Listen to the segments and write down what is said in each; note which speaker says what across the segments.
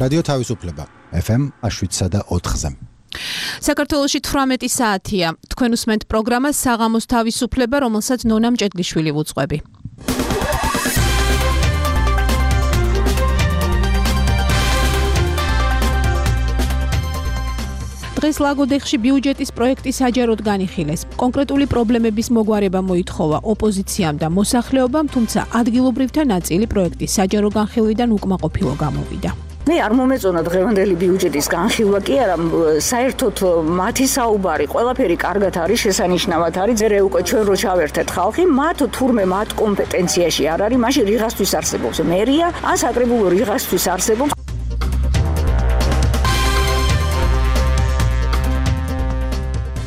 Speaker 1: რადიო თავისუფლება FM 7.4-ზე.
Speaker 2: საქართველოში 18 საათია. თქვენ უსმენთ პროგრამას საღამოს თავისუფლება, რომელსაც ნონა მჭედლიშვილი ვუძღვები. დღეს ლაგოდეხში ბიუჯეტის პროექტი საჯაროდ განიხილეს. კონკრეტული პრობლემების მოგვარება მოითხოვა ოპოზიციამ და მოსახლეობამ, თუმცა ადგილობრივთა ნაწილი პროექტის საჯარო განხილვიდან უკმაყოფილო გამოვიდა.
Speaker 3: მე არ მომეწონა დღევანდელი ბიუჯეტის განხილვა კი არა, საერთოდ მათი საუბარი ყველაფერი კარგად არის, შესანიშნავად არის, ზერე უკვე ჩვენ რო ჩავერთეთ ხალხი, მათ თურმე მათ კომპეტენციაში არ არის, მაშინ რიღასთვის არსებობს მერია, ან საკრებულო რიღასთვის არსებობს.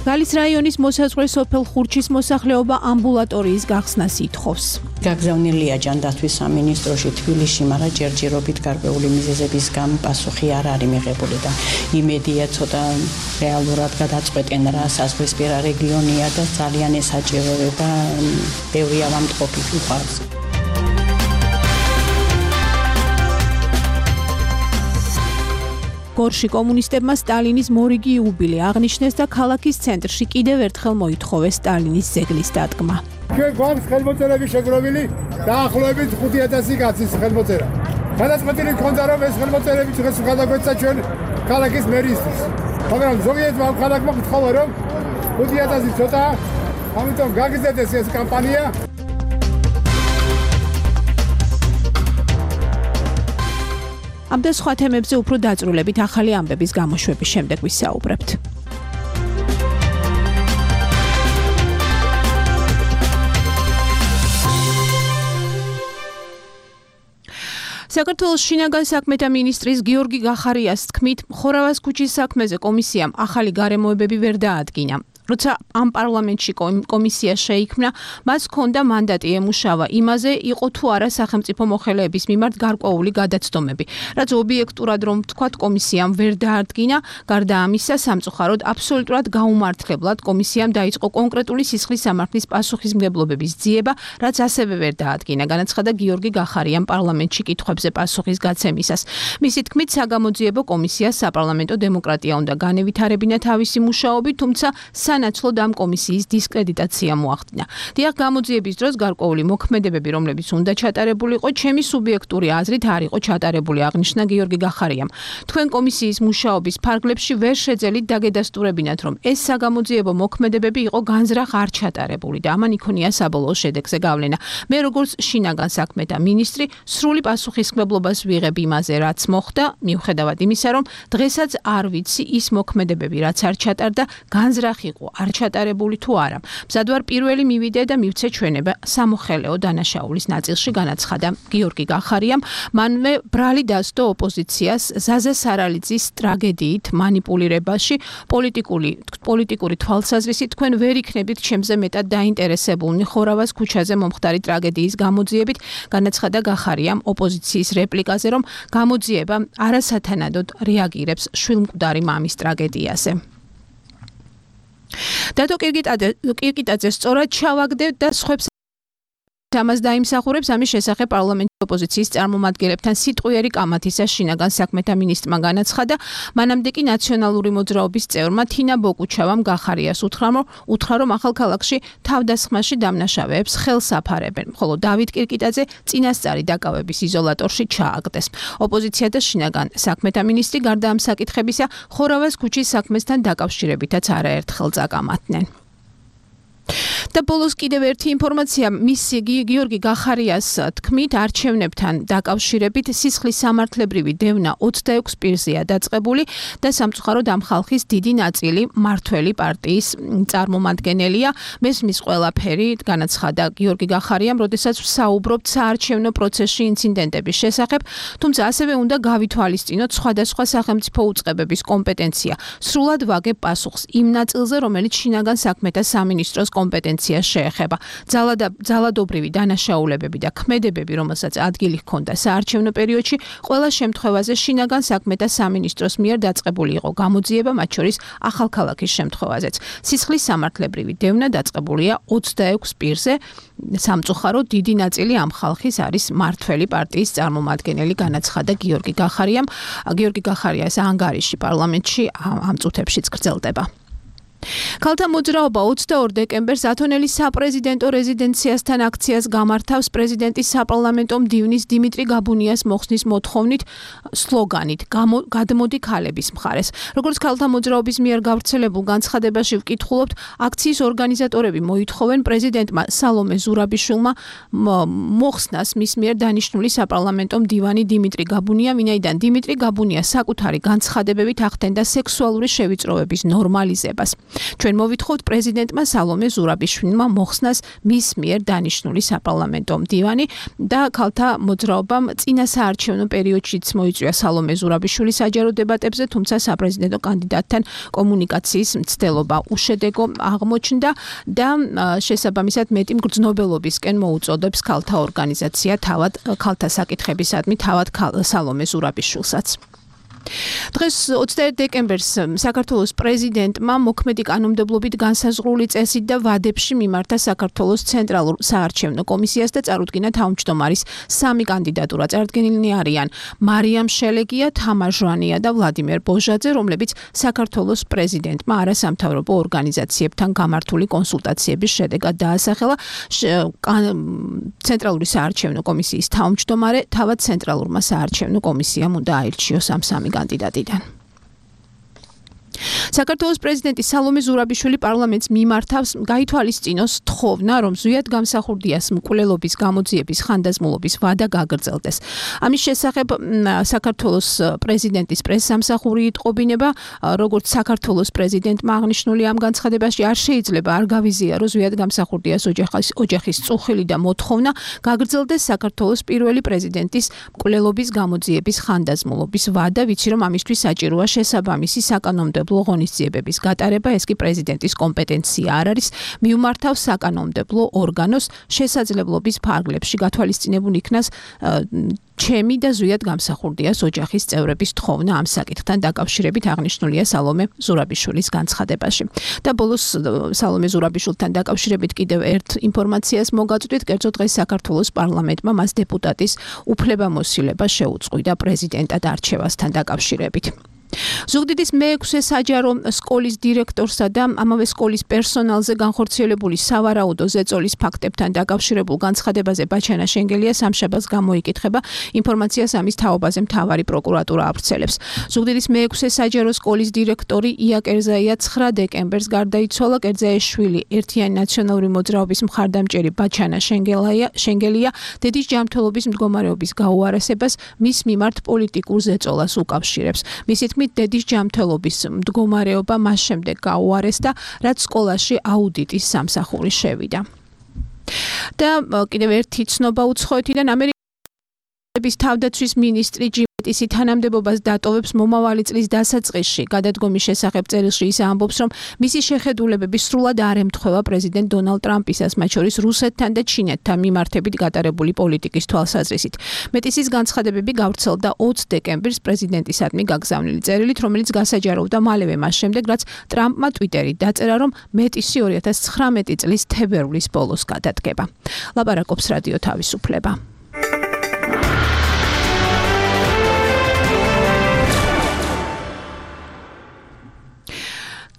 Speaker 2: გალის რაიონის მოსაზღვრე სოფელ ხურჩის მოსახლეობა ამბულატორიის გახსნას ითხოვს.
Speaker 4: გაგზავნილია ჯანდაცვის სამინისტროში თბილისში, მაგრამ ჯერჯერობით გარკვეული მიზეზების გამო პასუხი არ არის მიღებული და იმედია ცოტა რეალურად გადაწყვეტენ რა საზღვისპირა რეგიონია და ძალიან ესაჭიროება და ბევრი ავადმყოფი უყვარს.
Speaker 2: გორში კომუნისტებმა სტალინის მორიგი იუბილე აღნიშნეს და ქალაქის ცენტრში კიდევ ერთხელ მოითხოვეს სტალინის ძეგლის დადგმა.
Speaker 5: ჩვენ გვაქვს ხელმოწერები შეგროვილი დაახლოებით 5000 კაცის ხელმოწერა. გადაწყვეტილი ქონდა რომ ეს ხელმოწერები დღეს გადაგვეცა ჩვენ ქალაქის მერისთვის. მაგრამ ზოგიერთმა ქალაქმა გთხოვა რომ 5000 ცოტა, ამიტომ გაგიზარდეს ეს კამპანია.
Speaker 2: ამ და სხვა თემებზე უფრო დაწვრილებით ახალი ამბების გამოშვების შემდეგ ვისაუბრებთ. საქართველოს შინაგან საქმეთა მინისტრის გიორგი გახარიას თქმით, ხორავას ქუჩის საქმეზე კომისიამ ახალი გარემოებები ვერ დაადგინა. როცა ამ პარლამენტში კომისია შეიქმნა, მას ჰქონდა მანდატი ემუშავა იმაზე, იყო თუ არა სახელმწიფო მოხელეების მიმართ გარკვეული გადაცდომები, რაც ობიექტურად რომ ვთქვათ, კომისიამ ვერ დაადგინა. გარდა ამისა, სამწუხაროდ აბსოლუტურად გაუმართლებლად კომისიამ დაიწყო კონკრეტული სისხლის სამართლის პასუხისმგებლობების ძიება, რაც ასევე ვერ დაადგინა, განაცხადა გიორგი გახარიამ პარლამენტში კითხვებზე პასუხის გაცემისას. მისი თქმით, საგამოძიებო კომისიას საპარლამენტო დემოკრატია უნდა განევითარებინა თავისი მუშაობით, თუმცა სანაცვლოდ ამ კომისიის დისკრედიტაცია მოახდინა. დიახ, გამოძიების დროს გარკვეული მოქმედებები, რომლებიც უნდა ჩატარებულიყო, ჩემი სუბიექტური აზრით არ იყო ჩატარებული, აღნიშნა გიორგი გახარიამ. თქვენ კომისიის მუშაობის ფარგლებში ვერ შეძელით დაგედასტურებინათ, რომ ეს საგამოძიებო მოქმედებები იყო განზრახ არ ჩატარებული და ამან იქონია საბოლოო შედეგზე გავლენა. მე როგორც შინაგან საქმეთა მინისტრი სრული პასუხისმგებლობას ვიღებ იმაზე, რაც მოხდა, მიუხედავად იმისა, რომ დღესაც არ ვიცი ის მოქმედებები, რაც არ ჩატარდა, განზრახ იყო არ ჩატარებული თუ არა. მზად ვარ პირველი მივიდე და მივცე ჩვენება სამოხელეო დანაშაულის ნაწილში, განაცხადა გიორგი გახარიამ. მანვე ბრალი დასდო ოპოზიციას ზაზა სარალიძის ტრაგედიით მანიპულირებაში, პოლიტიკური თვალსაზრისით თქვენ ვერ იქნებით ჩემზე მეტად დაინტერესებულნი ხორავას ქუჩაზე მომხდარი ტრაგედიის გამოძიებით, განაცხადა გახარიამ ოპოზიციის რეპლიკაზე, რომ გამოძიება არასათანადოდ რეაგირებს შვილმკვდარი მამის ტრაგედიაზე. დადო კირკიტაძე სწორად ჩავაგდებ და სხვებს ამას დაიმსახურებს, ამის შესახებ პარლამენტის ოპოზიციის წარმომადგენლებთან სიტყვიერი კამათისა შინაგან საქმეთა მინისტრმა განაცხადა. მანამდე კი ნაციონალური მოძრაობის წევრმა თინა ბოკუჩავამ გახარიას უთხრა, რომ ახალქალაქში თავდასხმაში დამნაშავეებს ხელს აფარებენ, ხოლო დავით კირკიტაძე წინასწარი დაკავების იზოლატორში ჩააგდეს. ოპოზიცია და შინაგან საქმეთა მინისტრი გარდა ამ საკითხებისა, ხორავას ქუჩის საქმესთან დაკავშირებითაც არაერთხელ წაკამათნენ. და ბოლოს კიდევ ერთი ინფორმაცია, მისი გიორგი გახარიას თქმით, არჩევნებთან დაკავშირებით სისხლის სამართლებრივი დევნა 26 პირზეა დაწყებული და სამწუხაროდ ამ ხალხის დიდი ნაწილი მართველი პარტიის წარმომადგენელია. მესმის ყველაფერი, განაცხადა გიორგი გახარიამ, როდესაც ვსაუბრობთ საარჩევნო პროცესში ინციდენტების შესახებ, თუმცა ასევე უნდა გავითვალისწინოთ სხვადასხვა სახელმწიფო უწყებების კომპეტენცია. სრულად ვაგებ პასუხს იმ ნაწილზე, რომელიც შინაგან საქმეთა სამინისტროს კომპეტენცია ორგანიზაციას შეეხება. ძალადობრივი დანაშაულებები და ქმედებები, რომელსაც ადგილი ჰქონდა საარჩევნო პერიოდში, ყველა შემთხვევაზე შინაგან საქმეთა სამინისტროს მიერ დაწყებული იყო გამოძიება, მათ შორის ახალქალაქის შემთხვევაზეც. სისხლის სამართლებრივი დევნა დაწყებულია 26 პირზე. სამწუხაროდ დიდი ნაწილი ამ ხალხის არის მართველი პარტიის წარმომადგენელი, განაცხადა გიორგი გახარიამ. გიორგი გახარია ეს ანგარიში პარლამენტში ამ წუთებშიც გრძელდება. ქალთა მოძრაობა 22 დეკემბერს ათონელის საპრეზიდენტო რეზიდენციასთან აქციას გამართავს პრეზიდენტის საპარლამენტო მდივნის დიმიტრი გაბუნიას მოხსნის მოთხოვნით სლოგანით გადმოდი ქალების მხარეს. როგორც ქალთა მოძრაობის მიერ გავრცელებულ განცხადებაში ვკითხულობთ, აქციის ორგანიზატორები მოითხოვენ პრეზიდენტმა სალომე ზურაბიშვილმა მოხსნას მის მიერ დანიშნული საპარლამენტო მდივანი დიმიტრი გაბუნია, ვინაიდან დიმიტრი გაბუნია საკუთარი განცხადებებით ახდენდა სექსუალური შევიწროების ნორმალიზებას. ჩვენ მოვითხოვთ პრეზიდენტმა სალომე ზურაბიშვილმა მოხსნას მის მიერ დანიშნული საპარლამენტო მდივანი და ქალთა მოძრაობამ წინა საარჩევნო პერიოდშიც მოიწვია სალომე ზურაბიშვილის საჯარო დებატებზე, თუმცა საპრეზიდენტო კანდიდატთან კომუნიკაციის მცდელობა უშედეგო აღმოჩნდა და შესაბამისად მეტი მგრძნობელობისკენ მოუწოდებს ქალთა ორგანიზაცია თავად ქალთა საკითხებისადმი თავად სალომე ზურაბიშვილსაც. დღეს 21 დეკემბერს საქართველოს პრეზიდენტმა მოქმედი კანონმდებლობით განსაზღვრული წესით და ვადებში მიმართა საქართველოს ცენტრალურ საარჩევნო კომისიას და წარუდგინა თავმჯდომარის 3 კანდიდატურა. წარდგენილნი არიან მარიამ შელეგია, თამარ ჟვანია და ვლადიმერ ბოჟაძე, რომლებიც საქართველოს პრეზიდენტმა არასამთავრობო ორგანიზაციებთან გამართული კონსულტაციების შედეგად დაასახელა. ცენტრალური საარჩევნო კომისიის თავმჯდომარე თავად ცენტრალურმა საარჩევნო კომისიამ უნდა აირჩიოს ამ 3 კანდიდატიდან. საქართველოს პრეზიდენტი სალომე ზურაბიშვილი პარლამენტს მიმართავს გაითვალისწინოს თხოვნა, რომ ზვიად გამსახურდიას მკვლელობის გამოძიების ხანდაზმულობის ვადა გაგრძელდეს. ამის შესახებ საქართველოს პრეზიდენტის პრესსამსახური იტყობინება, როგორც საქართველოს პრეზიდენტმა აღნიშნული ამ განცხადებაში არ შეიძლება არ გავიზიარო ზვიად გამსახურდიას ოჯახის წუხილი და მოთხოვნა გაგრძელდეს საქართველოს პირველი პრეზიდენტის მკვლელობის გამოძიების ხანდაზმულობის ვადა, ვიცი რომ ამისთვის საჭიროა შესაბამისი საკანონმდებლო ღონისძიებების გატარება, ეს კი პრეზიდენტის კომპეტენცია არ არის, მიუმართავს საკანონმდებლო ორგანოს შესაძლებლობის ფარგლებში გათვალისწინებულ იქნას ჩემი და ზვიად გამსახურდიას ოჯახის წევრების თხოვნა ამ საკითხთან დაკავშირებით აღნიშნულია სალომე ზურაბიშვილის განცხადებაში. და ბოლოს სალომე ზურაბიშვილთან დაკავშირებით კიდევ ერთ ინფორმაციას მოგაწვდით, კერძო დღეს საქართველოს პარლამენტმა მას დეპუტატის უფლებამოსილება შეუწყვიტა პრეზიდენტად არჩევასთან დაკავშირებით. ზუგდიდის მე-6 საჯარო სკოლის დირექტორსა და ამავე სკოლის პერსონალზე განხორციელებული სავარაუდო ზეწოლის ფაქტებთან დაკავშირებულ განცხადებაზე ბაჩანა შენგელია სამშაბათს გამოიკითხება. ინფორმაციას ამის თაობაზე მთავარი პროკურატურა ავრცელებს. ზუგდიდის მე-6 საჯარო სკოლის დირექტორი ია კერზაია 9 დეკემბერს გარდაიცვალა. კერზაიშვილი ერთიანი ნაციონალური მოძრაობის მხარდამჭერი ბაჩანა შენგელია დედის ჯანმრთელობის მდგომარეობის გაუარესებას მის მიმართ პოლიტიკურ ზეწოლას უკავშირებს. მისი დედის ჯანმრთელობის მდგომარეობა მას შემდეგ გაუარესდა, რაც სკოლაში აუდიტის სამსახური შევიდა. და კიდევ ერთი ცნობა უცხოეთიდან ამერიკის თავდაცვის მინისტრი ისი თანამდებობას დატოვებს მომავალი წლის დასაწყისში. გადადგომის შესახებ წერილში ის ამბობს, რომ მისი შეხედულებები სრულად არ ემთხვევა პრეზიდენტ დონალდ ტრამპისას, მათ შორის რუსეთთან და ჩინეთთან მიმართებით გატარებული პოლიტიკის თვალსაზრისით. მეტისის განცხადებები გავრცელდა 20 დეკემბერს პრეზიდენტისადმი გაგზავნილი წერილით, რომელიც გასაჯაროვდა მალევე მას შემდეგ, რაც ტრამპმა ტვიტერით დაწერა, რომ მეტისი 2019 წლის თებერვლის ბოლოს გადადგება. ლაპარაკობს რადიო თავისუფლება.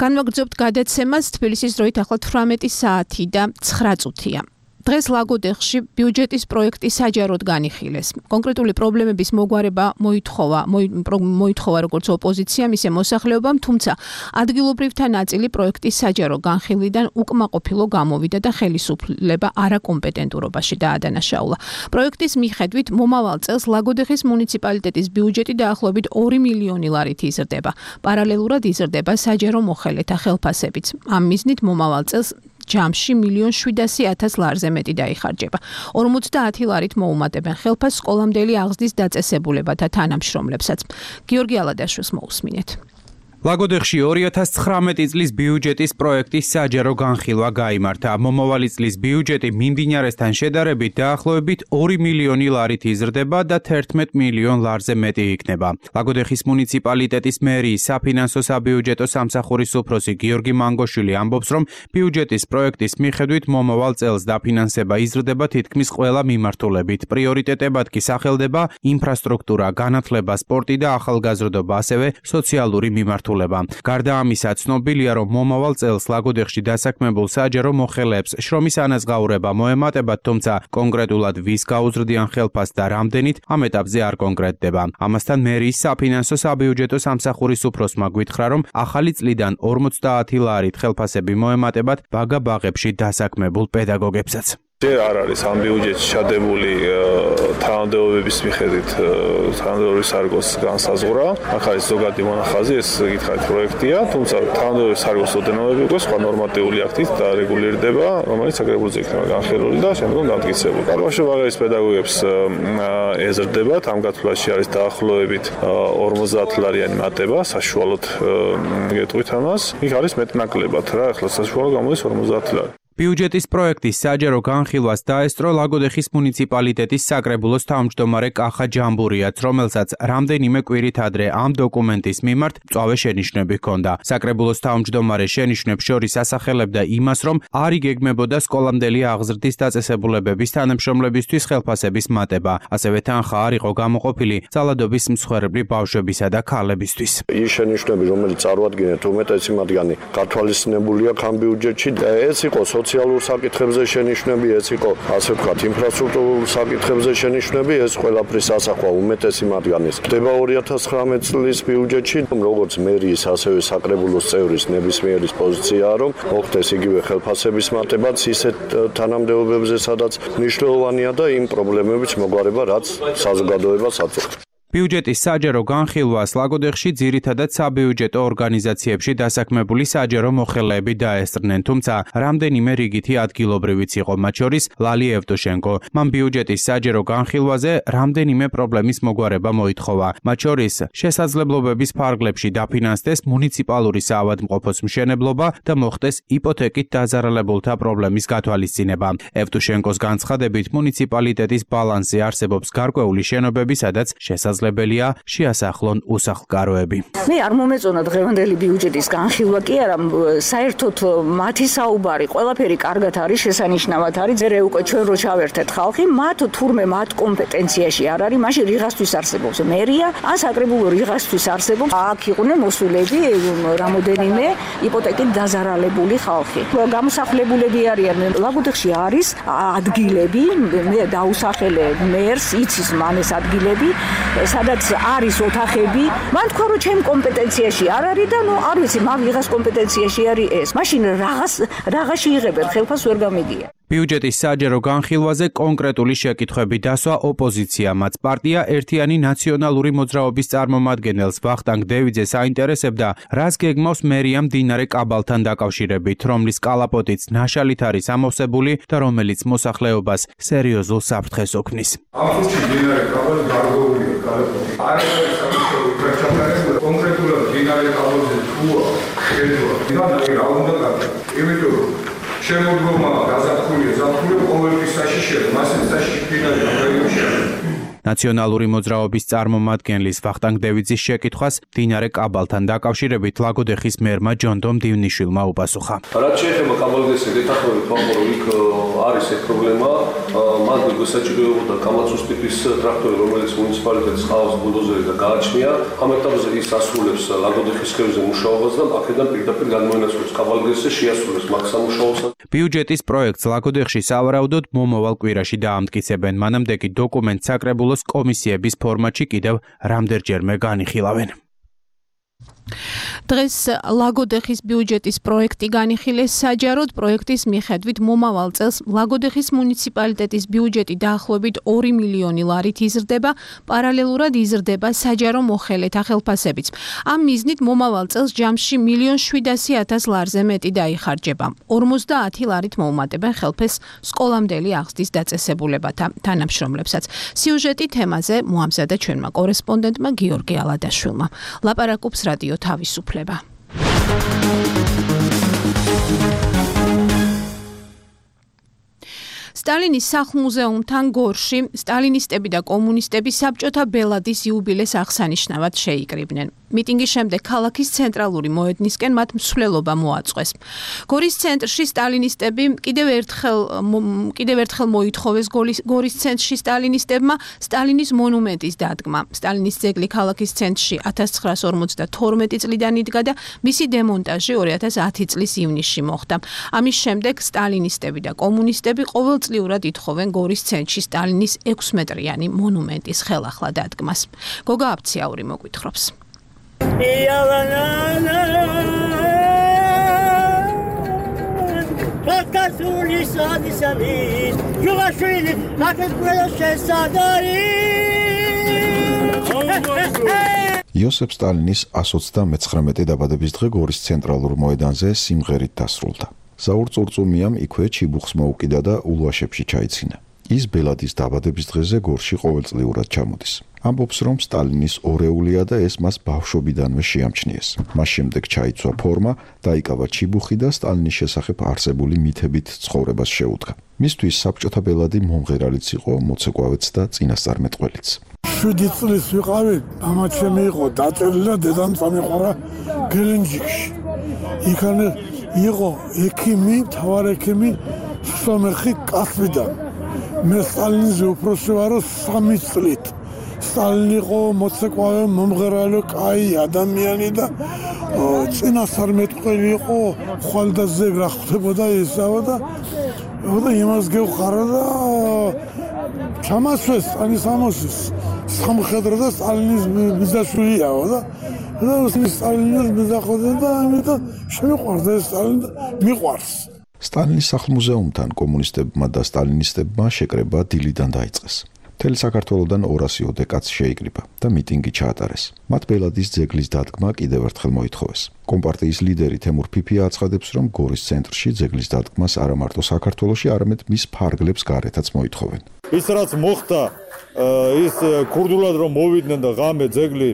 Speaker 2: განვაგრძობთ გადაცემას თბილისის დროით ახლა 18 საათი და 9 წუთია. დღეს ლაგოდეხში ბიუჯეტის პროექტი საჯაროდ განიხილეს. კონკრეტული პრობლემების მოგვარება მოითხოვა როგორც ოპოზიციამ, ისე მოსახლეობამ, თუმცა ადგილობრივთა ნაწილი პროექტის საჯარო განხილვიდან უკმაყოფილო გამოვიდა და ხელისუფლება არაკომპეტენტურობაში დაადანაშაულა. პროექტის მიხედვით მომავალ წელს ლაგოდეხის მუნიციპალიტეტის ბიუჯეტი დაახლოებით 2 მილიონი ლარით იზრდება. პარალელურად იზრდება საჯარო მოხელეთა ხელფასებიც. ამ მიზნით მომავალ წელს ჯამში 1,700,000 ლარზე მეტი დაიხარჯება. 50 ლარით მოუმატებენ ხელფასს სკოლამდელი აღზრდის დაწესებულებათა თანამშრომლებსაც. გიორგი ალადაშვილს მოусმინეთ.
Speaker 6: ლაგოდეხში 2019 წლის ბიუჯეტის პროექტის საჯარო განხილვა გაიმართა. მომავალი წლის ბიუჯეტი მიმდინარესთან შედარებით დაახლოებით 2 მილიონი ლარით იზრდება და 11 მილიონ ლარზე მეტი იქნება. ლაგოდეხის მუნიციპალიტეტის მერიის საფინანსო საბიუჯეტო სამსახურის უფროსი გიორგი მანგოშვილი ამბობს, რომ ბიუჯეტის პროექტის მიხედვით მომავალ წელს დაფინანსება იზრდება თითქმის ყველა მიმართულებით. პრიორიტეტებად კი სახელდება ინფრასტრუქტურა, განათლება, სპორტი და ახალგაზრდობა, ასევე სოციალური მიმართულება. გარდა ამისა, ცნობილია, რომ მომავალ წელს ლაგოდეხში დასაქმებულ საჯარო მოხელეებს შრომის ანაზღაურება მოემატებათ, თუმცა კონკრეტულად ვის გაუზრდიან ხელფას და რამდენით ამ ეტაპზე არ კონკრეტდება. ამასთან მერიის საფინანსო საბიუჯეტო სამსახურის უფროსმა გვითხრა, რომ ახალი წლიდან 50 ლარით ხელფასები მოემატებათ ბაგა-ბაღებში დასაქმებულ პედაგოგებსაც.
Speaker 7: არ არის ამ ბიუჯეტში ჩადებული თანამდებობების მიხედვით თანამდებობის სარგოს განსაზღვრა. აქ არის ზოგადი მონახაზი, ეს გითხარით პროექტია, თუმცა თანამდებობის სარგოს ოდენობები უკვე სხვა ნორმატიული აქტით დარეგულირდება, რომელიც საკრებულოზე იქნება განხილული და შემდგომ დამტკიცებული. ბაგა-ბაღების პედაგოგებს ეზრდებათ, ამ გათვლაში არის დაახლოებით 50 ლარიანი მატება, საშუალოდ გეტყვით ამას. იქ არის მეტნაკლებად რა, ახლა საშუალო გამოდის 50 ლარი.
Speaker 6: ბიუჯეტის პროექტის საჯარო განხილვას დაესწრო ლაგოდეხის მუნიციპალიტეტის საკრებულოს თავმჯდომარე კახა ჯამბურიაც, რომელსაც რამდენიმე კვირით ადრე ამ დოკუმენტის მიმართ მწვავე შენიშვნები ჰქონდა. საკრებულოს თავმჯდომარე შენიშვნებს შორის ასახელებდა იმას, რომ არ იგეგმებოდა სკოლამდელი აღზრდის დაწესებულებების თანამშრომლებისთვის ხელფასების მატება, ასევე თანხა არ იყო გამოყოფილი ძალადობის მსხვერპლი ბავშვებისა და ქალებისთვის.
Speaker 8: ის შენიშვნები, რომელიც წარმოადგენთ უმეტესი მათგანი გათვალისწინებული აქვს ამ ბიუჯეტში, ეს იყო სოციალურ საკითხებზე შენიშვნები, ეს იყო ასე ვთქვათ ინფრასტრუქტურულ საკითხებზე შენიშვნები, ეს ყველაფრის ასახვა უმეტესი მათგანის. ხდება 2019 წლის ბიუჯეტში, როგორც მერიის, ასევე საკრებულოს წევრის ნებისმიერის პოზიციაა, რომ მოხდეს იგივე ხელფასების მატებაც ისეთ თანამდებობებზე, სადაც მნიშვნელოვანია და იმ პრობლემების მოგვარება, რაც საზოგადოებას აწუხებს.
Speaker 6: ბიუჯეტის საჯარო განხილვას ლაგოდეხში ძირითადად საბიუჯეტო ორგანიზაციებში დასაქმებული საჯარო მოხელეები დაესწრნენ, თუმცა რამდენიმე რიგითი ადგილობრივიც იყო, მათ შორის ლალი ევტუშენკო. მან ბიუჯეტის საჯარო განხილვაზე რამდენიმე პრობლემის მოგვარება მოითხოვა, მათ შორის შესაძლებლობების ფარგლებში დაფინანსდეს მუნიციპალური საავადმყოფოს მშენებლობა და მოხდეს იპოთეკით დაზარალებულთა პრობლემის გათვალისწინება. ევტუშენკოს განცხადებით, მუნიციპალიტეტის ბალანსზე არსებობს გარკვეული შენობები, სადაც შესაძლებელია შეასახლონ უსახლკაროები.
Speaker 3: მე არ მომეწონა დღევანდელი ბიუჯეტის განხილვა კი არა, საერთოდ მათი საუბარი ყველაფერი კარგად არის, შესანიშნავად არის, ზერე უკვე ჩვენ რო ჩავერთეთ ხალხი, მათ თურმე მათ კომპეტენციაში არ არის, მაშინ რიღასთვის არსებობს მერია, ან საკრებულო რიღასთვის არსებობს, აქ იყვნენ მოსულები რამოდენიმე იპოთეკით დაზარალებული ხალხი. გამოსახლებულები არიან, ლაგოდეხში არის ადგილები, მე დაუსახელე მერს, იცის მან ეს ადგილები, სადაც არის ოთახები, მან თქვა რომ ჩემ კომპეტენციაში არ არის და ნუ არ ვიცი, მაგ ვიღას კომპეტენციაში არის ეს. მაშინ რაღაცი იღებენ, ხელფას ვერ გამიგია.
Speaker 6: ბიუჯეტის საჯარო განხილვაზე კონკრეტული შეკითხვები დასვა ოპოზიციამ, მათ პარტია ერთიანი ნაციონალური მოძრაობის წარმომადგენელს ვახტანგ დევიძეს აინტერესებდა, რას გეგმავს მერია მდინარე კაბალთან დაკავშირებით, რომლის კალაპოტიც ნაშალით არის ამოვსებული და რომელიც მოსახლეობას სერიოზულ საფრთხეს ოქმნის.
Speaker 9: ამ ხუთში მდინარე კაბალი გარკვეულია კალაპოტი. არ არის საკუთრებული პრეჩაპარება კონკრეტულად მდინარე კაბალზე თუა შეძლო. მდინარე რა უნდა გაკეთდეს? იმიტომ რომ შემოდგომა გაზაფხულია, ზაფხული ყოველთვის საშიშია, მასეც საშიში მდინარე რაიონში არის.
Speaker 6: ნაციონალური მოძრაობის წარმომადგენლის ვახტანგ დევიძის შეკითხვას მდინარე კაბალთან დაკავშირებით ლაგოდეხის მერმა ჯონდომ დივნიშვილმა უპასუხა.
Speaker 10: რაც შეეხება კაბალგეს დეთანხმებით ვამბობ, რომ იქ არის ეს პრობლემა, მან გასაჭიროებოდა კამაცუს ტიპის ტრაქტორი, რომელიც მუნიციპალიტეტს ყავს ბულდოზერი და გააჩნია. ამ ეტაპზე ის ასრულებს ლაგოდეხის ხევზე მუშაობას და აქედან პირდაპირ განმოენაცვლებს კაბალგესზე შეასრულებს მაგ სამუშაოსა.
Speaker 6: ბიუჯეტის პროექტს ლაგოდეხში სავარაუდოდ მომავალ კვირაში დაამტკიცებენ, მანამდე კი დოკუმენტს საკრებულოს კომისიების ფორმატში კიდევ რამდენჯერმე განიხილავენ.
Speaker 2: დღეს ლაგოდეხის ბიუჯეტის პროექტი განიხილეს საჯაროდ. პროექტის მიხედვით მომავალ წელს ლაგოდეხის მუნიციპალიტეტის ბიუჯეტი დაახლოებით 2 მილიონი ლარით იზრდება, პარალელურად იზრდება საჯარო მოხელეთა ხელფასებიც. ამ მიზნით მომავალ წელს ჯამში 1,700,000 ლარზე მეტი დაიხარჯება. 50 ლარით მოუმატებენ ხელფასს სკოლამდელი აღზრდის დაწესებულებათა თანამშრომლებსაც. სიუჟეტი თემაზე მოამზადა ჩვენმა კორესპონდენტმა გიორგი ალადაშვილმა. ლაპარაკობს რადიო თავისუფლება. სტალინის სახლ-მუზეუმთან გორში სტალინისტები და კომუნისტები საბჭოთა ბელადის იუბილეს აღსანიშნავად შეიკრიბნენ. მიტინგის შემდეგ ქალაქის ცენტრალური მოედნისკენ მათ მსვლელობა მოაწყვეს. გორის ცენტრში სტალინისტები კიდევ ერთხელ მოითხოვეს გორის ცენტრში სტალინისტებმა სტალინის მონუმენტის დადგმა. სტალინის ძეგლი ქალაქის ცენტრში 1952 წლიდან იდგა და მისი დემონტაჟი 2010 წლის ივნისში მოხდა. ამის შემდეგ სტალინისტები და კომუნისტები ყოველწლიურად ითხოვენ გორის ცენტრში სტალინის 6 მეტრიანი მონუმენტის ხელახლა დადგმას. გოგა აფციაური მოგვითხრობს.
Speaker 1: იოსებ სტალინის 129 დაბადების დღე გორის ცენტრალურ მოედანზე სიმღერით დასრულდა. ზაურ წურწუმიამ იქვე ჩიბუხს მოუკიდა და ულვაშებში ჩაიცინა. ის ბელადის დაბადების დღეზე გორში ყოველწლიურად ჩამოდის. ამბობს, რომ სტალინის ორეულია და ეს მას ბავშვობიდანვე შეამჩნიეს. მას შემდეგ ჩაიცვა ფორმა, დაიკავა ჩიბუხი და სტალინის შესახებ არსებული მითებით ცხოვრებას შეუდგა. მისთვის საბჭოთა ბელადი მომღერალიც იყო, მოცეკვავეც და წინასწარმეტყველიც.
Speaker 5: 7 წლის ვიყავი, მამა ჩემი იყო დაწერილი და დედამ წამიყვარა გელენჯიკში. იქანე იყო ექიმი, მთავარ ექიმი სომეხი კასპიდან. მე სტალინზე უფროსი ვარო 3 წლით. სტალინი იყო მოცეკვავე, მომღერალი, კაი ადამიანი და წინასწარმეტყველი იყო, ხვალდაზე რა ხდებოდა ესავა და იმას გევხარა და ჩამასვეს სტალინის ამოსის სამხედრო და სტალინის ბიძაშვილიაო და სტალინის ბიძახოდა და ამიტომ შემიყვარდა ეს სტალინი მიყვარს.
Speaker 1: სტალინის სახლ-მუზეუმთან კომუნისტებმა და სტალინისტებმა შეკრება დილიდან დაიწყეს. მთელი საქართველოდან 200 კაცს შეიკრიბა და მიტინგი ჩაატარეს. მათ ბელადის ძეგლის დადგმა კიდევ ერთხელ მოითხოვეს. კომპარტიის ლიდერი თემურ ფიფია აცხადებს, რომ გორის ცენტრში ძეგლის დადგმას არა მარტო საქართველოში, არამედ მის ფარგლებს გარეთაც მოითხოვენ.
Speaker 11: ის რაც მოხდა, ის ქურდულად რომ მოვიდნენ და ღამე ძეგლი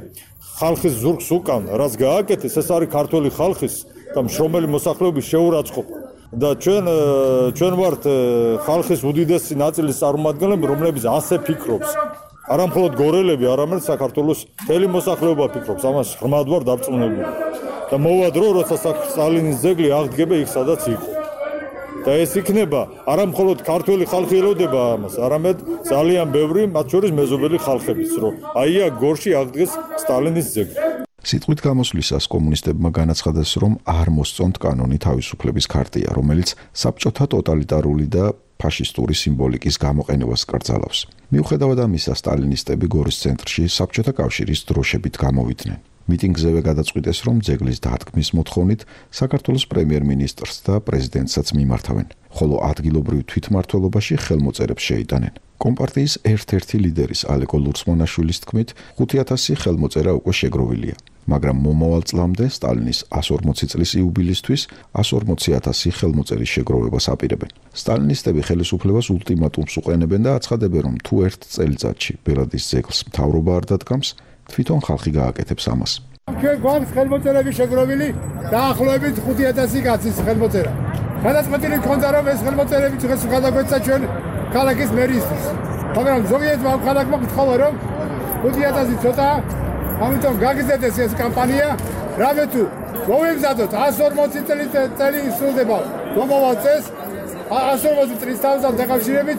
Speaker 11: ხალხის ზურგს უკან, რაც გააკეთეს, ეს არის ქართული ხალხის და მშრომელი მოსახლეობის შეურაცხყოფა. და ჩვენ ვართ ხალხის უდიდესი ნაწილის წარმომადგენლები, რომლებიც ასე ფიქრობს. არა მხოლოდ გორელები, არამედ საქართველოს მთელი მოსახლეობა ფიქრობს, ამას ღრმად ვარ დარწმუნებული. და მოვა დრო, როცა სტალინის ძეგლი აღდგება იქ, სადაც იყო. და ეს იქნება არა მხოლოდ ქართველი ხალხი ელოდება ამას, არამედ ძალიან ბევრი, მათ შორის მეზობელი ხალხებიც, რომ აია გორში აღდგეს სტალინის ძეგლი.
Speaker 1: სიტყვით გამოსვლისას კომუნისტებმა განაცხადეს, რომ არ მოსწონთ კანონი თავისუფლების ქარტია, რომელიც საბჭოთა ტოტალიტარული და ფაშისტური სიმბოლიკის გამოყენებას კრძალავს. მიუხედავად ამისა, სტალინისტები გორის ცენტრში საბჭოთა კავშირის დროშებით გამოვიდნენ. მიტინგზევე გადაწყვიტეს, რომ ძეგლის დადგმის მოთხოვნით საქართველოს პრემიერ-მინისტრს და პრეზიდენტსაც მიმართავენ, ხოლო ადგილობრივ თვითმმართველობაში ხელმოწერებს შეიტანენ. კომპარტიის ერთ-ერთი ლიდერის ალეკო ლურსმონაშვილის თქმით, 5000 ხელმოწერა უკვე შეგროვილია. მაგრამ მომავალ წლამდე სტალინის 140 წლის იუბილისთვის 140,000 ხელმოწერის შეგროვებას აპირებენ. სტალინისტები ხელისუფლებას ულტიმატუმს უყენებენ და აცხადებენ, რომ თუ ერთ წელიწადში ბელადის ძეგლს მთავრობა არ დადგამს, თვითონ ხალხი გააკეთებს ამას.
Speaker 5: ჩვენ გვაქვს ხელმოწერები შეგროვილი დაახლოებით 5000 კაცის ხელმოწერა. გადაწყვეტილი ქონდა, რომ ეს ხელმოწერები დღეს გადაგვეცა ჩვენ ქალაქის მერისთვის. მაგრამ ზოგიერთმა ქალაქმა გთხოვა, რომ 5000 ცოტა, ამიტომ გაგიზარდეს ეს კამპანია, რამე თუ მოვემზადოთ 140 წელი სრულდება მომავალ წელს, 140 წლის თავთან დაკავშირებით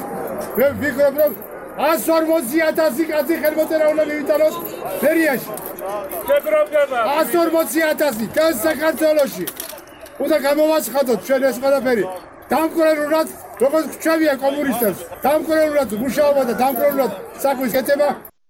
Speaker 5: მე ვფიქრობ, რომ 140,000 კაცი ხელმოწერა უნდა მივიტანოს ფერიაში. 140,000 კაც საქართველოში. უნდა გამოვაცხადოთ ჩვენ ეს ყველაფერი. დამკვირვებლად, როგორც გვჩვენია კომუნისტებს, დამკვირვებლად მუშაობა და დამკვირვებლად საქმის კეთება.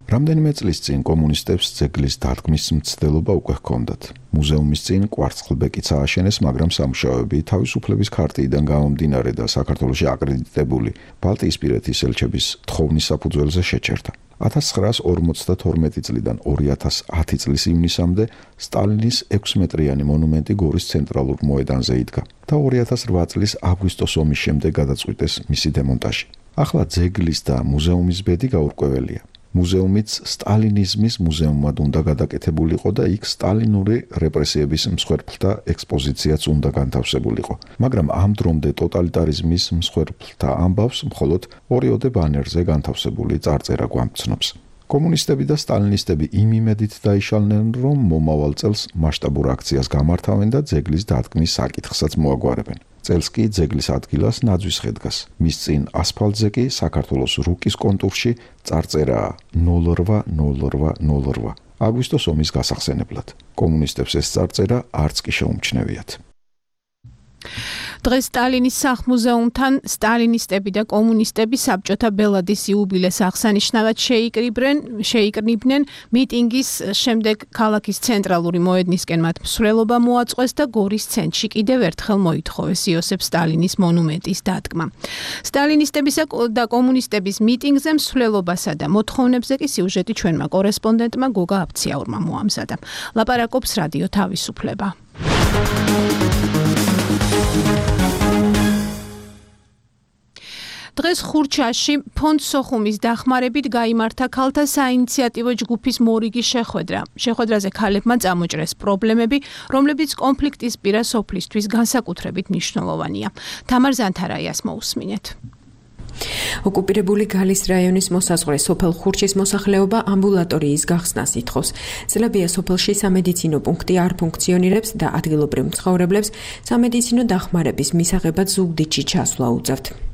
Speaker 1: რამდენიმე წლის წინ კომუნისტებს ძეგლის დადგმის მცდელობა უკვე ჰქონდათ. მუზეუმის წინ კვარცხლბეკიც ააშენეს, მაგრამ სამუშაოები თავისუფლების ქარტიიდან გამომდინარე და საქართველოში აკრედიტებული ბალტიისპირეთის ელჩების თხოვნის საფუძველზე შეჩერდა. 1952 წლიდან 2010 წლის ივნისამდე სტალინის 6 მეტრიანი მონუმენტი გორის ცენტრალურ მოედანზე იდგა და 2008 წლის აგვისტოს ომის შემდეგ გადაწყვიტეს მისი დემონტაჟი. ახლა ძეგლის და მუზეუმის ბედი გაურკვეველია. მუზეუმიც სტალინიზმის მუზეუმად უნდა გადაკეთებულიყო და იქ სტალინური რეპრესიების მსხვერპლთა ექსპოზიციაც უნდა განთავსებულიყო. მაგრამ ამ დრომდე ტოტალიტარიზმის მსხვერპლთა ამბავს მხოლოდ ორიოდე ბანერზე განთავსებული წარწერა გვამცნობს. კომუნისტები და სტალინისტები იმ იმედით დაიშალნენ, რომ მომავალ წელს მასშტაბურ აქციას გამართავენ და ძეგლის დადგმის საკითხსაც მოაგვარებენ. წელს კი ძეგლის ადგილას ნაძვის ხე დგას. მის წინ ასფალტზე კი საქართველოს რუკის კონტურში წარწერაა 080808. აგვისტოს ომის გასახსენებლად. კომუნისტებს ეს წარწერა არც კი შეუმჩნევიათ.
Speaker 2: დღეს სტალინის სახლ-მუზეუმთან სტალინისტები და კომუნისტები საბჭოთა ბელადის იუბილეს აღსანიშნავად შეიკრიბნენ მიტინგის შემდეგ ქალაქის ცენტრალური მოედნისკენ მათ მსვლელობა მოაწყვეს და გორის ცენტრში კიდევ ერთხელ მოითხოვეს იოსებ სტალინის მონუმენტის დადგმა. სტალინისტებისა და კომუნისტების მიტინგზე მსვლელობასა და მოთხოვნებზე კი სიუჟეტი ჩვენმა კორესპონდენტმა გოგა აფციაურმა მოამზადა. ლაპარაკობს რადიო თავისუფლება. დღეს ხურჩაში ფონდ სოხუმის დახმარებით გაიმართა ქალთა საინიციატივო ჯგუფის მორიგი შეხვედრა. შეხვედრაზე ქალებმა წამოჭრეს პრობლემები, რომლებიც კონფლიქტის პირას სოფლისთვის განსაკუთრებით მნიშვნელოვანია. თამარ ზანთარაიას მოусმინეთ.
Speaker 12: ოკუპირებული გალის რაიონის მოსაზღვრე სოფელ ხურჩის მოსახლეობა ამბულატორიის გახსნას ითხოვს. წლებია სოფელში სამედიცინო პუნქტი არ ფუნქციონირებს და ადგილობრივ მცხოვრებლებს სამედიცინო დახმარების მისაღებად ზუგდიდში ჩასვლა უწევთ.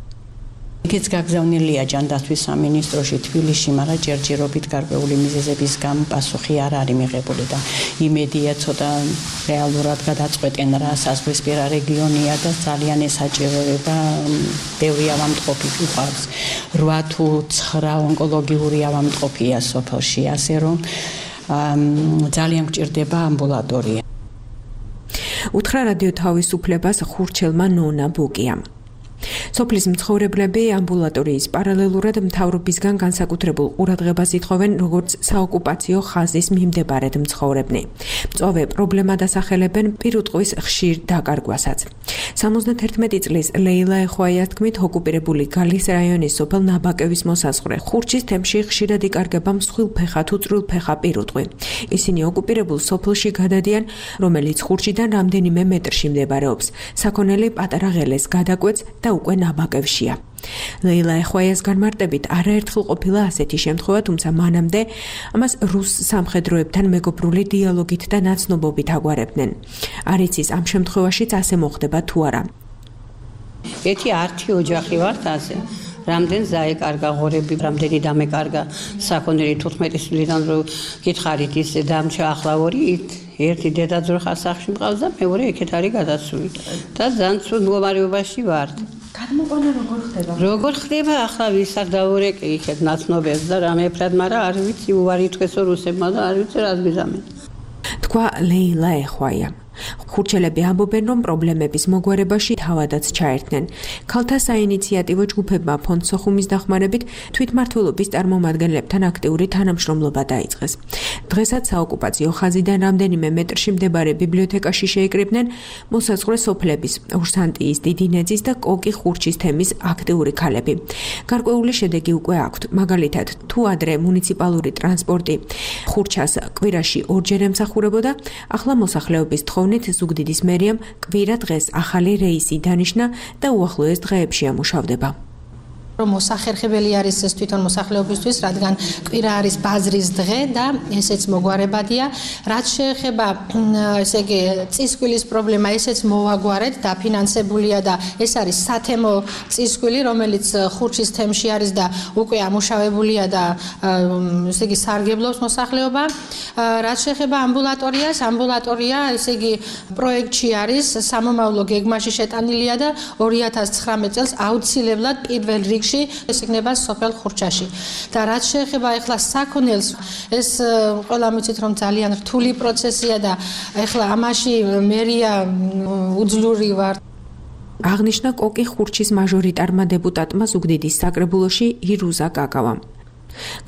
Speaker 4: იქაც გაგზავნილია ჯანდაცვის სამინისტროში თბილისში, მაგრამ ჯერჯერობით გარკვეული მიზეზების გამო პასუხი არ არის მიღებული და იმედია ცოტა რეალურად გადაწყვეტენ რა საზღვისპირა რეგიონია და ძალიან ესაჭიროება ბევრი ავადმყოფი უყავს. 8 თუ 9 ონკოლოგიური ავადმყოფია სოფელში, ასე რომ ძალიან გჭირდება ამბულატორია.
Speaker 12: უთხრა რადიო თავისუფლებას ხურჩელმა ნონა ბუკიამ. სოფლის მცხოვრებლები ამბულატორიის პარალელურად მთავრობისგან განსაკუთრებულ ყურადღებას ითხოვენ, როგორც საოკუპაციო ხაზის მიმდებარედ მცხოვრებნი. მწვავე პრობლემა დასახელებენ პირუტყვის ხშირ დაკარგვასაც. 71 წლის ლეილა ეხვაიას თქმით, ოკუპირებული გალის რაიონის სოფელ ნაბაკევის მოსაზღვრე ხურჩის თემში ხშირად იკარგება მსხვილფეხა თუ წვრილფეხა პირუტყვი. ისინი ოკუპირებულ სოფელში გადადიან, რომელიც ხურჩიდან რამდენიმე მეტრში მდებარეობს. საქონელი პატარა ღელეს გადაკვეთს და უკვე ნაბაკევშია. ლეილა ეხვაიას განმარტებით არაერთხელ ყოფილა ასეთი შემთხვევა, თუმცა მანამდე ამას რუს სამხედროებთან მეგობრული დიალოგით და ნაცნობობით აგვარებდნენ. არ იცის ამ შემთხვევაშიც ასე მოხდება თუ არა.
Speaker 13: ერთი ართი ოჯახი ვართ ასე. რამდენ ზაეკარგა ღორები, რამდენი დამეკარგა საქონელი 15 წლიდან რო გითხარით ის დამჩა ახლა ორი ერთი დედაძროხა სახში მყავს და მეორე ეგეთ არის გადასული და ძალიან ცუდ მდგომარეობაში ვართ.
Speaker 12: გადმოყვანა როგორ ხდება?
Speaker 13: როგორ ხდება ახლა ვისაც დავურეკე იქეთ ნაცნობებს და რამეფრად, მაგრამ არ ვიცი უარი თქვესო რუსებმა და არ ვიცი რას გიზამენ.
Speaker 12: თქვა ლეილა ეხვაია. ხურჩელები ამბობენ, რომ პრობლემების მოგვარებაში თავადაც ჩაერთნენ. ქალთა საინიციატივო ჯგუფებმა ფონდ სოხუმის დახმარებით თვითმმართველობის წარმომადგენლებთან აქტიური თანამშრომლობა დაიწყეს. დღესაც საოკუპაციო ხაზიდან რამდენიმე მეტრში მდებარე ბიბლიოთეკაში შეიკრიბნენ მოსაზღვრე სოფლების, ორსანტიის, დიდინეძის და კოკი ხურჩის თემის აქტიური ქალები. გარკვეული შედეგი უკვე აქვთ. მაგალითად, თუ ადრე მუნიციპალური ტრანსპორტი ხურჩას კვირაში ორჯერ ემსახურებოდა, ახლა მოსახლეობის ზუგდიდის მერიამ კვირა დღეს ახალი რეისი დანიშნა და უახლოეს დღეებში ამუშავდება.
Speaker 14: რომ მოსახერხებელი არის ეს თვითონ მოსახლეობისთვის, რადგან კვირა არის ბაზრის დღე და ესეც მოგვარებადია. რაც შეეხება ესე იგი წისქვილის პრობლემა, ესეც მოვაგვარეთ, დაფინანსებულია და ეს არის სათემო წისქვილი, რომელიც ხურჩის თემში არის და უკვე ამუშავებულია და ესე იგი სარგებლობს მოსახლეობა. რაც შეეხება ამბულატორიას, ამბულატორია ესე იგი პროექტში არის, სამომავლო გეგმაში შეტანილია და 2019 წელს აუცილებლად პირველ რიგში ეს იქნება სოფელ ხურჩაში. და რაც შეეხება ახლა საქონელს, ეს ყველა მიცით რომ ძალიან რთული პროცესია და ახლა ამაში მერია უძლური ვარ.
Speaker 12: აღნიშნა კოკი ხურჩის მაჟორიტარმა დეპუტატმა ზუგდიდის საკრებულოში ირუზა კაკავამ.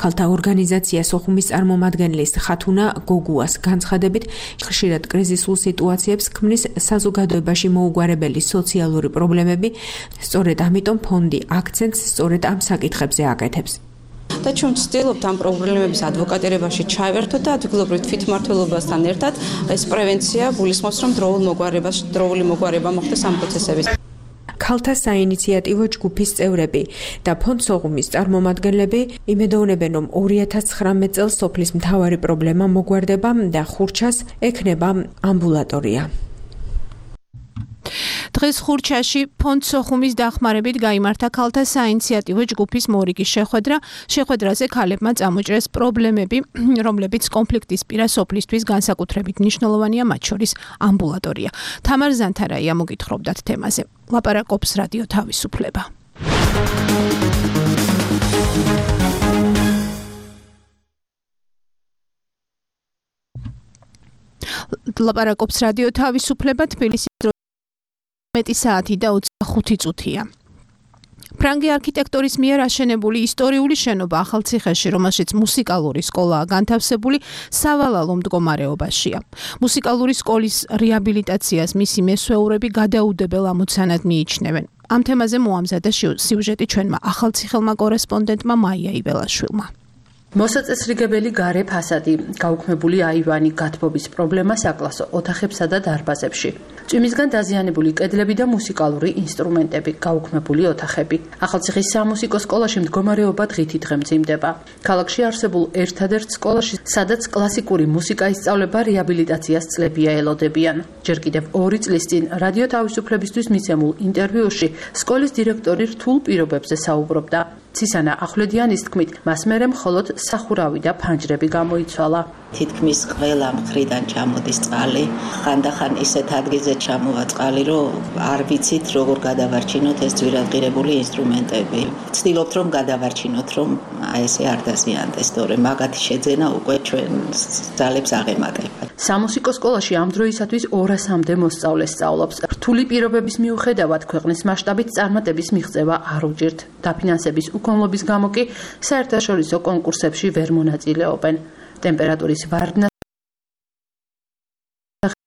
Speaker 12: ქალთა ორგანიზაცია სოხუმის წარმომადგენლის ხათუნა გოგუას განცხადებით, ხშირად კრიზისულ სიტუაციებს ქმნის საზოგადოებაში მოუგვარებელი სოციალური პრობლემები, სწორედ ამიტომ ფონდი აქცენტს სწორედ ამ საკითხებზე აკეთებს.
Speaker 15: და ჩვენ ვცდილობთ ამ პრობლემების ადვოკატირებაში ჩავერთოთ და ადგილობრივ თვითმმართველობასთან ერთად ეს პრევენცია გულისხმობს, რომ დროული მოგვარება მოხდეს ამ პროცესების.
Speaker 12: ქალთა საინიციატივო ჯგუფის წევრები და ფონდ სოღუმის წარმომადგენლები იმედოვნებენ, რომ 2019 წელს სოფლის მთავარი პრობლემა მოგვარდება და ხურჩას ექნება ამბულატორია.
Speaker 2: დღეს ხურჩაში ფონდ სოხუმის დახმარებით გაიმართა ქალთა საინიციატივო ჯგუფის მორიგის შეხვედრა. შეხვედრაზე ქალებმა წამოჭრეს პრობლემები, რომლებიც კონფლიქტის პირას სოფლისთვის განსაკუთრებით მნიშვნელოვანია, მათ შორის ამბულატორია. თამარ ზანთარაია მოგითხრობდათ თემაზე. ლაპარაკობს რადიო თავისუფლება. ლაპარაკობს რადიო თავისუფლება თბილისის მეტი საათი და 25 წუთია. ფრანგი არქიტექტორის მიერ აშენებული ისტორიული შენობა ახალციხეში, რომელშიც მუსიკალური სკოლაა განთავსებული, სავალალო მდგომარეობაშია. მუსიკალური სკოლის რეაბილიტაციას მისი მესვეურები გადაუდებელ ამოცანად მიიჩნევენ. ამ თემაზე მოამზადა სიუჟეტი ჩვენმა ახალციხელმა კორესპონდენტმა მაია იველაშვილმა.
Speaker 16: მოსაწესრიგებელი გარე ფასადი, გაუქმებული აივანი, გათბობის პრობლემა საკლასო ოთახებსა და დარბაზებში. წვიმისგან დაზიანებული კედლები და მუსიკალური ინსტრუმენტები, გაუქმებული ოთახები. ახალციხის სამუსიკო სკოლაში მდგომარეობა დღითი დღე მძიმდება. ქალაქში არსებულ ერთადერთ სკოლაში, სადაც კლასიკური მუსიკა ისწავლება, რეაბილიტაციას წლებია ელოდებიან. ჯერ კიდევ 2 წლის წინ რადიო თავისუფლებისთვის მიცემულ ინტერვიუში სკოლის დირექტორი რთულ პირობებზე საუბრობდა. ცისანა ახვლედიანის თქმით, მას მერე მხოლოდ სახურავი და ფანჯრები გამოიცვალა.
Speaker 17: თითქმის ყველა მხრიდან ჩამოდის წყალი, ხანდახან ისეთ ადგილზე ჩამოვა წყალი, რომ არ ვიცით როგორ გადავარჩინოთ ეს ძვირადღირებული ინსტრუმენტები. ვცდილობთ რომ გადავარჩინოთ, რომ ესე არ დაზიანდეს, თორემ მაგათი შეძენა უკვე ჩვენ ძალებს აღემატება.
Speaker 16: სამუსიკო სკოლაში ამ დროისათვის 200-მდე მოსწავლე სწავლობს. რთული პირობების მიუხედავად ქვეყნის მასშტაბით წარმატების მიღწევა არ უჭირთ. დაფინანსების უკმლობის გამო კი საერთაშორისო კონკურსებში ვერ მონაწილეობენ. ტემპერატურის ვარდნა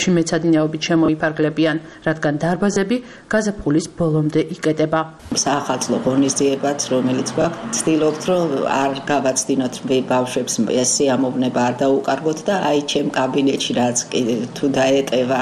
Speaker 16: მეცადინეობით შემოიფარგლებიან, რადგან დარბაზები გაზაფხულის ბოლომდე იკეტება.
Speaker 17: საახალწლო ღონისძიებაც, რომელიც გვაქვს, ვცდილობთ, რომ არ გავაცდინოთ ბავშვებს ეს სიამოვნება არ დაუკარგოთ და აი ჩემ კაბინეტში რაც თუ დაეტევა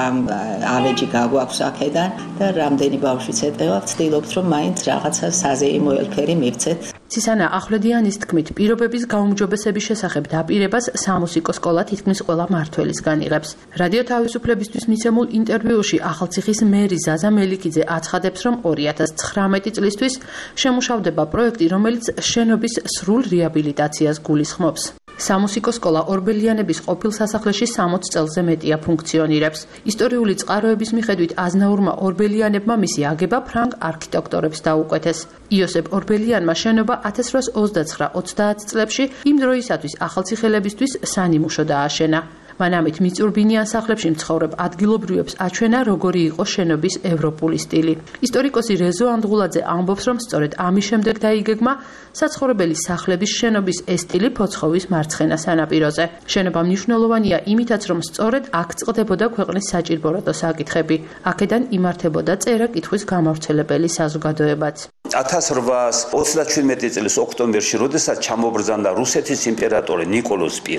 Speaker 17: ავეჯი გაგვაქვს აქედან და რამდენი ბავშვიც ეტევა, ვცდილობთ, რომ მაინც რაღაცა საზეიმო ელფერი მივცეთ.
Speaker 16: ცისანა ახვლედიანის თქმით, პირობების გაუმჯობესების შესახებ დაპირებას სამუსიკო სკოლა თითქმის ყველა მმართველისგან იღებს. რადიო თავისუფლებისთვის მიცემულ ინტერვიუში ახალციხის მერი ზაზა მელიქიძე აცხადებს, რომ 2019 წლისთვის შემუშავდება პროექტი, რომელიც შენობის სრულ რეაბილიტაციას გულისხმობს. სამუსიკო სკოლა ორბელიანების ყოფილ სასახლეში 60 წელზე მეტია ფუნქციონირებს. ისტორიული წყაროების მიხედვით აზნაურმა ორბელიანებმა მისი აგება ფრანგ არქიტექტორებს დაუკვეთეს. იოსებ ორბელიანმა შენობა 1829-30 წლებში იმ დროისათვის ახალციხელებისთვის სანიმუშო დააშენა. მანამით მიწურბინიან სახლებში მცხოვრებ ადგილობრივებს აჩვენა, როგორი იყო შენობის ევროპული სტილი. ისტორიკოსი რეზო ანდღულაძე ამბობს, რომ სწორედ ამის შემდეგ დაიგეგმა საცხოვრებელი სახლების შენობის ეს სტილი ფოცხოვის მარცხენა სანაპიროზე. შენობა მნიშვნელოვანია იმითაც, რომ სწორედ აქ წყდებოდა ქვეყნის საჭირბოროტო საკითხები. აქედან იმართებოდა წერა-კითხვის გამავრცელებელი საზოგადოებაც.
Speaker 18: 1837 წლის ოქტომბერში, როდესაც ჩამობრძანდა რუსეთის იმპერატორი ნიკოლოზ I,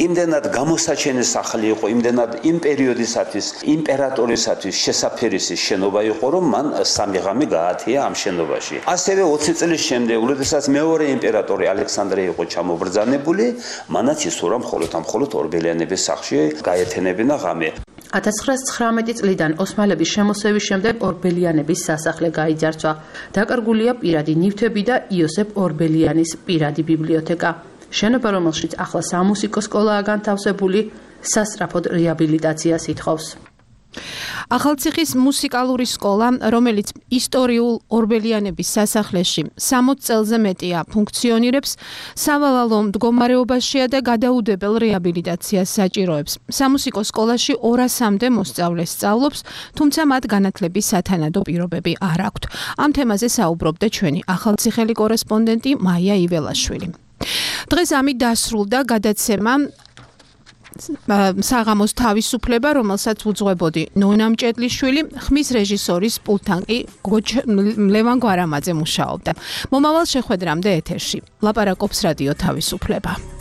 Speaker 18: იმდენად გამოსაჩენი სახლი იყო, იმდენად იმ პერიოდისათვის იმპერატორისათვის შესაფერისი შენობა იყო, რომ მან 3 ღამე გაათია ამ შენობაში. ასევე 20 წლის შემდეგ, როდესაც მეორე იმპერატორი ალექსანდრე იყო ჩამობრძანებული, მანაც ისურვა მხოლოდ ორბელიანების სახლში გაეთენებინა ღამე.
Speaker 16: 1919 წლიდან ოსმალების შემოსევის შემდეგ ორბელიანების სასახლე გაიძარცვა. დაკარგულია პირადი ნივთები და იოსებ ორბელიანის პირადი ბიბლიოთეკა. შენობა, რომელშიც ახლა სამუსიკო სკოლაა განთავსებული, სასწრაფოდ რეაბილიტაციას ითხოვს. ახალციხის მუსიკალური სკოლა, რომელიც ისტორიულ ორბელიანების სასახლეში 60 წელზე მეტია ფუნქციონირებს, სავალალო მდგომარეობაშია და გადაუდებელ რეაბილიტაციას საჭიროებს. სამუსიკო სკოლაში 200-მდე მოსწავლე სწავლობს, თუმცა მათ განათლების სათანადო პირობები არ აქვთ. ამ თემაზე საუბრობდა ჩვენი ახალციხელი კორესპონდენტი მაია იველაშვილი. დღეს ამით დასრულდა გადაცემა
Speaker 2: საღამოს თავისუფლება, რომელსაც უძღვებოდი ნონა მჭედლიშვილი, ხმის რეჟისორის პულტთან კი ლევან გვარამაძე მუშაობდა. მომავალ შეხვედრამდე ეთერში ლაპარაკობს რადიო თავისუფლება.